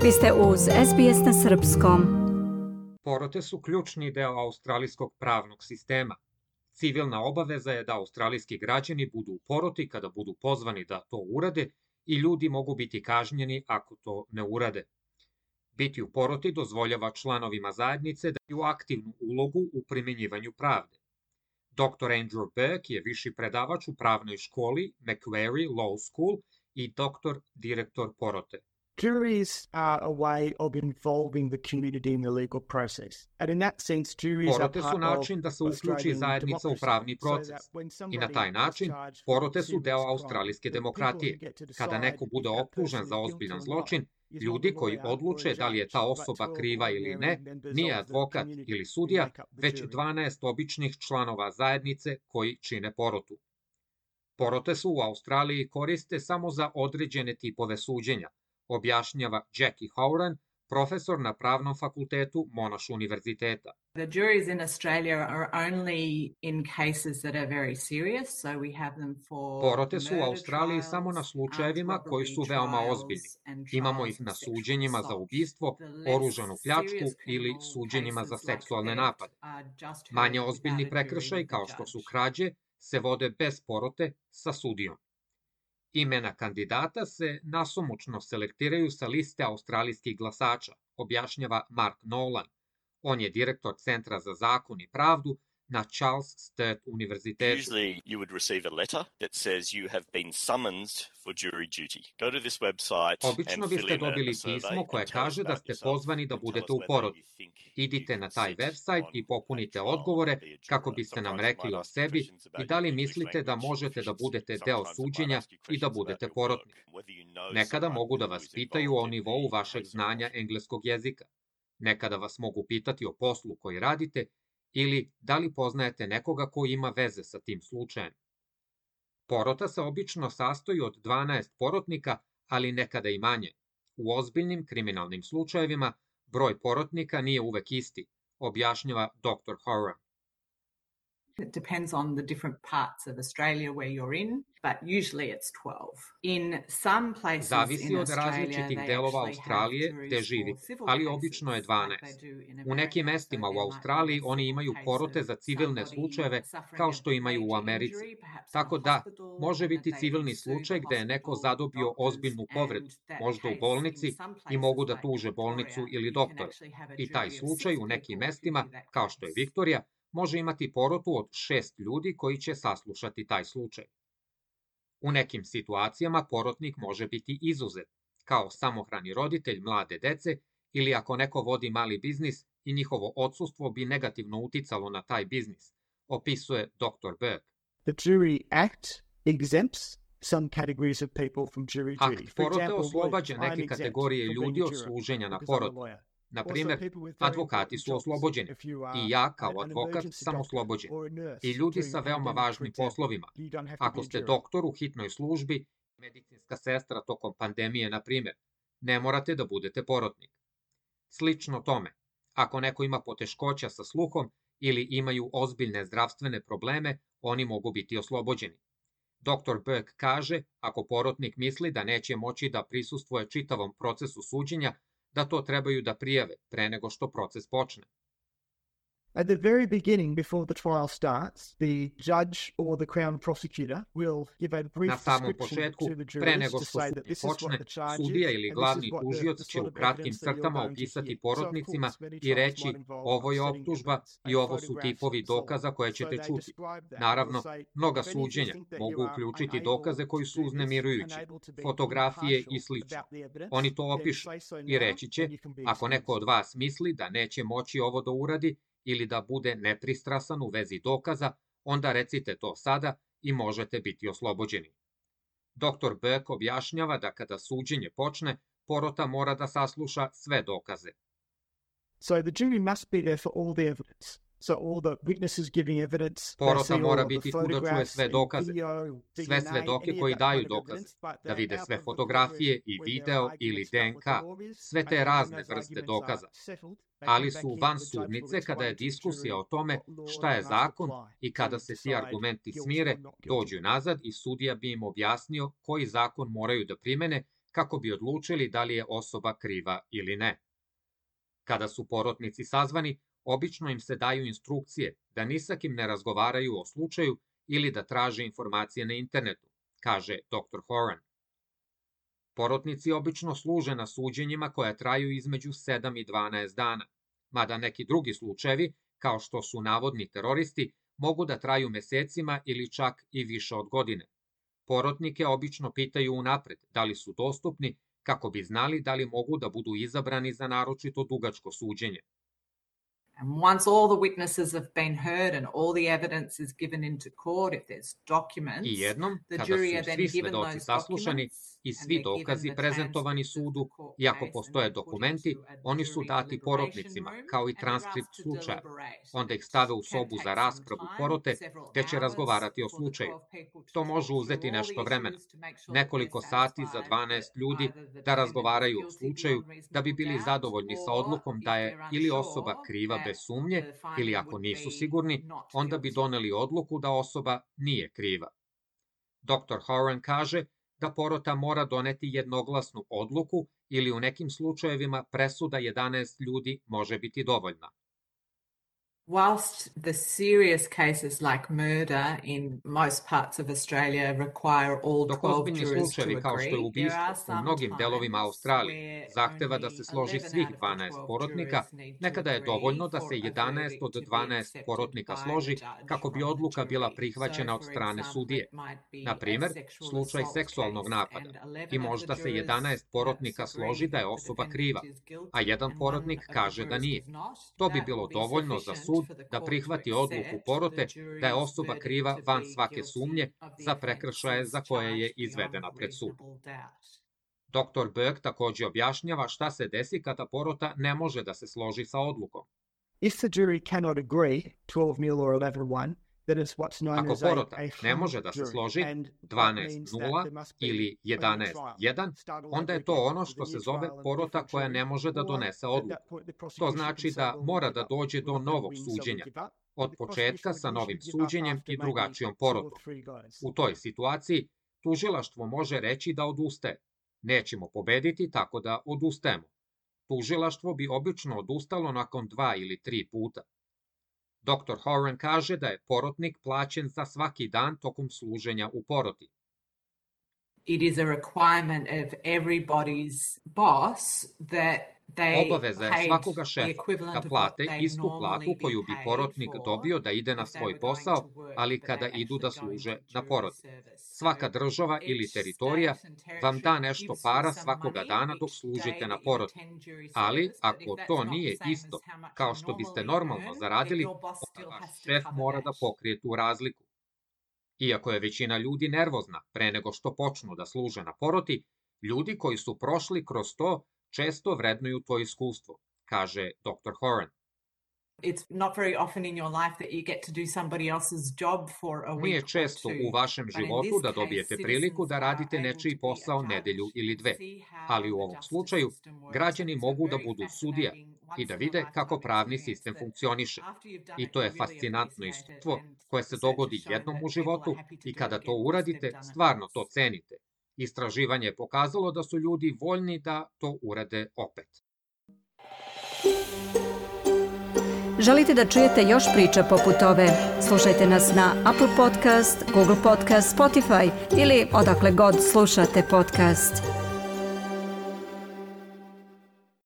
Vi ste uz SBS na srpskom. Porote su ključni deo australijskog pravnog sistema. Civilna obaveza je da australijski građani budu u poroti kada budu pozvani da to urade i ljudi mogu biti kažnjeni ako to ne urade. Biti u poroti dozvoljava članovima zajednice da imaju aktivnu ulogu u primjenjivanju pravde. Dr. Andrew Burke je viši predavač u pravnoj školi Macquarie Law School i direktor porote. Juries are a way of involving the community in the legal process. And in that sense, juries are Porote part su način of da se uključi Australian zajednica u democracy. pravni So proces. that when I somebody na taj is način, charged porote with su deo serious australijske crime, the demokratije. people who get to Kada decide neko bude if that optužen person za is guilty ozbiljan or zločin, not is not ljudi the koji lawyer or odluče the da li je ta judge, osoba but 12 kriva ili ne, ordinary members nije of the advokat community ili who sudija, make up the već jury. 12 običnih članova zajednice koji čine porotu. Porote su u Australiji koriste samo za određene tipove suđenja, objašnjava Jackie Howran, profesor na pravnom fakultetu Monash univerziteta. The juries in Australia are only in cases that are very serious, so we have them for Porote su u murder Australiji trials, samo na armed slučajevima koji su robbery veoma trials, ozbiljni. and Imamo trials ih of na sexual suđenjima za assault. ubistvo, The less oružanu pljačku serious ili criminal suđenjima za cases like seksualne theft napade. are just heard Manje without ozbiljni a jury prekršaj with a kao što su judge. krađe se vode bez porote sa sudijom. Imena kandidata se nasumično selektiraju sa liste australijskih glasača, objašnjava Mark Nolan. On je direktor Centra za zakon i pravdu na Charles Sturt univerzitetu. Usually you would receive a letter that says you have been summoned for jury duty. Go to this website Obično and fill biste in dobili a survey pismo koje and tell us kaže da about ste yourself pozvani da and tell budete us u whether poroti. you think you Idite can na taj sit website on i popunite page 12 odgovore and be a juror. kako biste nam Sometimes you rekli might o ask sebi questions i about da li your English mislite da language možete da proficiency. budete deo Sometimes it might suđenja ask you i da questions budete about your porotnik. work, whether you know Nekada someone mogu da who vas is pitaju o involved in nivou the vašeg prison znanja profession. engleskog jezika. Nekada vas mogu pitati o poslu koji radite ili da li poznajete nekoga ko ima veze sa tim slučajem. Porota se obično sastoji od 12 porotnika, ali nekada i manje. U ozbiljnim kriminalnim slučajevima broj porotnika nije uvek isti, objašnjava dr. Horan. It depends on the different parts of Australia where you're in, but usually it's 12. In some places Zavisi in od Australia, različitih they delova actually Australije have gde juries živi, for civil ali cases, obično je like they 12. do in U nekim America. mestima So u there might be Australiji a oni civil imaju case porote of za civilne somebody slučajeve suffering kao a što imaju u major Americi. injury, perhaps in Tako a da, hospital, može and that biti they civilni can sue the slučaj gde je neko hospital, zadobio doctors, ozbiljnu povredu, and that možda u case bolnici, in some i places mogu da like tuže bolnicu Victoria, ili you can doktora. actually have a I taj jury of slučaj 6 u nekim people who mestima, do that kao što je case. Viktorija, može imati porotu od 6 ljudi koji će saslušati taj slučaj. U nekim situacijama porotnik može biti izuzet, kao samohrani roditelj mlade dece ili ako neko vodi mali biznis i njihovo odsustvo bi negativno uticalo na taj biznis, opisuje dr. Burke. The Jury Act exempts some categories of people from jury duty. Akt For porote example, oslobađa lawyers, I'm neke exempt kategorije from ljudi being a od juror služenja na because I'm a poroti. lawyer. Na Also, primer, people with very advokati important su jobs, oslobođeni, if you are i ja kao an advokat emergency sam doctor oslobođen, or a nurse i ljudi during sa a veoma pandemic, for važnim example, poslovima. you don't have to Ako be a ste juror. doktor u hitnoj službi, medicinska sestra tokom pandemije, na primer, ne morate da budete porotnik. Slično tome, ako neko ima poteškoća sa sluhom ili imaju ozbiljne zdravstvene probleme, oni mogu biti oslobođeni. Dr. Burke kaže, ako porotnik misli da neće moći da prisustvuje čitavom procesu suđenja, da to trebaju da prijave pre nego što proces počne. At the very beginning, before the trial starts, the judge or the Crown prosecutor will give a brief Na samom description početku, to the pre jurors nego to što say that suđenje this is what počne, the charge sudija is ili and this glavni is what tužilac the će u sort of kratkim evidence that you're crtama going to opisati hear. porotnicima So, of course, i many reći trials might involve ovo je upsetting optužba evidence i and ovo su photographs tipovi and so on. dokaza koje So ćete they čuti. describe that. Naravno, They'll say, mnoga if any of you suđenja think that mogu you are uključiti unable dokaze koji to su do this, uznemirujući, unable to be fotografije i impartial slično. about the evidence, Oni to then opišu say so i now reći će, and you can be ako neko od excused. vas misli da neće moći ovo da uradi ili da bude nepristrasan u vezi dokaza, onda recite to sada i možete biti oslobođeni. Dr. Burke objašnjava da kada suđenje počne, porota mora da sasluša sve dokaze. So the jury must be there for all the evidence. So all the witnesses giving evidence, they Porota see all mora of the biti tu da čuje photographs, sve and dokaze, video, sve DNA, svedoke any of koji that daju kind of dokaze, evidence, but da they're vide out sve of the courtroom fotografije i when video their ili arguments start with the DNK, lawyers, sve and te then when razne those vrste arguments are dokaza. settled, they Ali come su back in van and the judge will sudnice kada je explain to the diskusija jury o tome what law šta je they must zakon apply i to kada se ti decide argumenti guilty smire, or not guilty. dođu nazad i sudija bi im objasnio koji zakon moraju da primene kako bi odlučili da li je osoba kriva ili ne. Kada su porotnici sazvani, obično im se daju instrukcije da ni sa kim ne razgovaraju o slučaju ili da traže informacije na internetu, kaže dr. Horan. Porotnici obično služe na suđenjima koja traju između 7 i 12 dana, mada neki drugi slučajevi, kao što su navodni teroristi, mogu da traju mesecima ili čak i više od godine. Porotnike obično pitaju unapred da li su dostupni kako bi znali da li mogu da budu izabrani za naročito dugačko suđenje. And once all the witnesses have been heard and all the evidence is given into court, if there's documents, I jednom, the kada jury are su then svi given svedoci those saslušani documents i and svi they're given dokazi the prezentovani transcript of sudu, the court i ako case postoje and then put dokumenti, into a oni su jury dati deliberation porotnicima, room kao i and they're transkript asked to slučaja. deliberate. Onda ih stave u Can sobu take za some raspravu time, porote, several gde će hours razgovarati o for the slučaju. 12 people to To talk može through uzeti all the nešto vremena, issues to make sure that nekoliko they're sati za satisfied 12 that ljudi either the da defendant razgovaraju is o guilty slučaju beyond da bi reasonable bili doubt, zadovoljni sa or odlukom if da je they're ili unsure osoba kriva that bez sumnje the finding ili ako would nisu be sigurni, not onda bi guilty. doneli odluku da osoba nije kriva. Dr. Horan kaže da porota mora doneti jednoglasnu odluku ili u nekim slučajevima presuda 11 ljudi može biti dovoljna. Whilst the serious cases like murder in most parts of Australia require all Dok 12 ozbiljni jurors to slučajevi kao što je agree, there ubistvo are u some mnogim delovima times Australije where zahteva da only se složi 11 svih out of the 12 12 porotnika, jurors need to nekada je agree dovoljno da for se a 11 verdict od to be 12 accepted porotnika by složi the judge kako bi from the odluka bila jury. prihvaćena So, od for strane example, sudije. it might be Na a primer, sexual slučaj assault seksualnog case napada. and 11 I of the možda se jurors 11 porotnika agree složi da je that the osoba defendant kriva, is guilty a jedan and porotnik one of the kaže da jurors nije. does not. To bi That bilo will be dovoljno za sufficient sud for the da court prihvati to odluku accept porote the da je jury's osoba verdict kriva to van be svake guilty sumnje of the za prekršaje offences za koje je charged beyond izvedena pred sud. reasonable doubt. Dr. Burke takođe objašnjava šta se desi kada porota ne može da se složi sa odlukom. If the jury cannot agree, 12-0 or 11-1, then it's what's known Ako as porota a ne hung može da se jury. složi And that 12-0 there must be ili a new trial. 11-1, Start all onda over je to again ono with što a se new zove trial and porota different koja jury. ne može da Or donese at odluku. that point the To prosecution znači can say, da well, we mora give da up. dođe We're do not gonna novog win, so we suđenja, give up. od The početka prosecution sa novim usually give up suđenjem after i maybe drugačijom 2 or porotom. 3 guys. U toj situaciji tužilaštvo može reći da odustaje. Nećemo pobediti, tako da odustajemo. Tužilaštvo bi obično odustalo nakon 2 ili 3 puta. Dr. Horan kaže da je porotnik plaćen za svaki dan tokom služenja u poroti. It is a requirement of everybody's boss that they Obaveza je paid svakoga the šefa equivalent da of what plate they'd istu normally platu be koju bi paid porotnik for dobio da ide na if they svoj were going posao, to work ali the kada day idu da actually going služe to na jury poroti. service. Svaka So država ili each teritorija state and vam da territory nešto gives you para some svakoga money dana dok each služite day na that you poroti. attend jury Ali, service, but ako if to that's not nije the same isto as how much kao you što biste normally normalno earn, then zaradili, your boss onda still vaš has to šef cover mora da that. pokrije tu razliku. Iako je većina ljudi nervozna pre nego što počnu da služe na poroti, ljudi koji su prošli kroz to često vrednuju to iskustvo, kaže dr. Horan. It's not very often in your life that you get to do somebody else's job for a week Nije or često two. u vašem But in životu this da case, dobijete priliku citizens da are radite able nečiji to be a posao judge nedelju ili and 2. see how Ali u the ovom justice slučaju system works, and građani it's a mogu da very budu sudija fascinating i da once in a vide kako lifetime pravni experience sistem that funkcioniše. after you've done I it, to je you really fascinantno appreciate it, iskustvo and koje se research has dogodi shown jednom that u people životu are happy to i do kada it to again once uradite, they've done it stvarno once. to cenite. Istraživanje je pokazalo da su ljudi voljni da to urade opet. Želite da čujete još priča poput ove? Slušajte nas na Apple Podcast, Google Podcast, Spotify ili odakle god slušate podcast.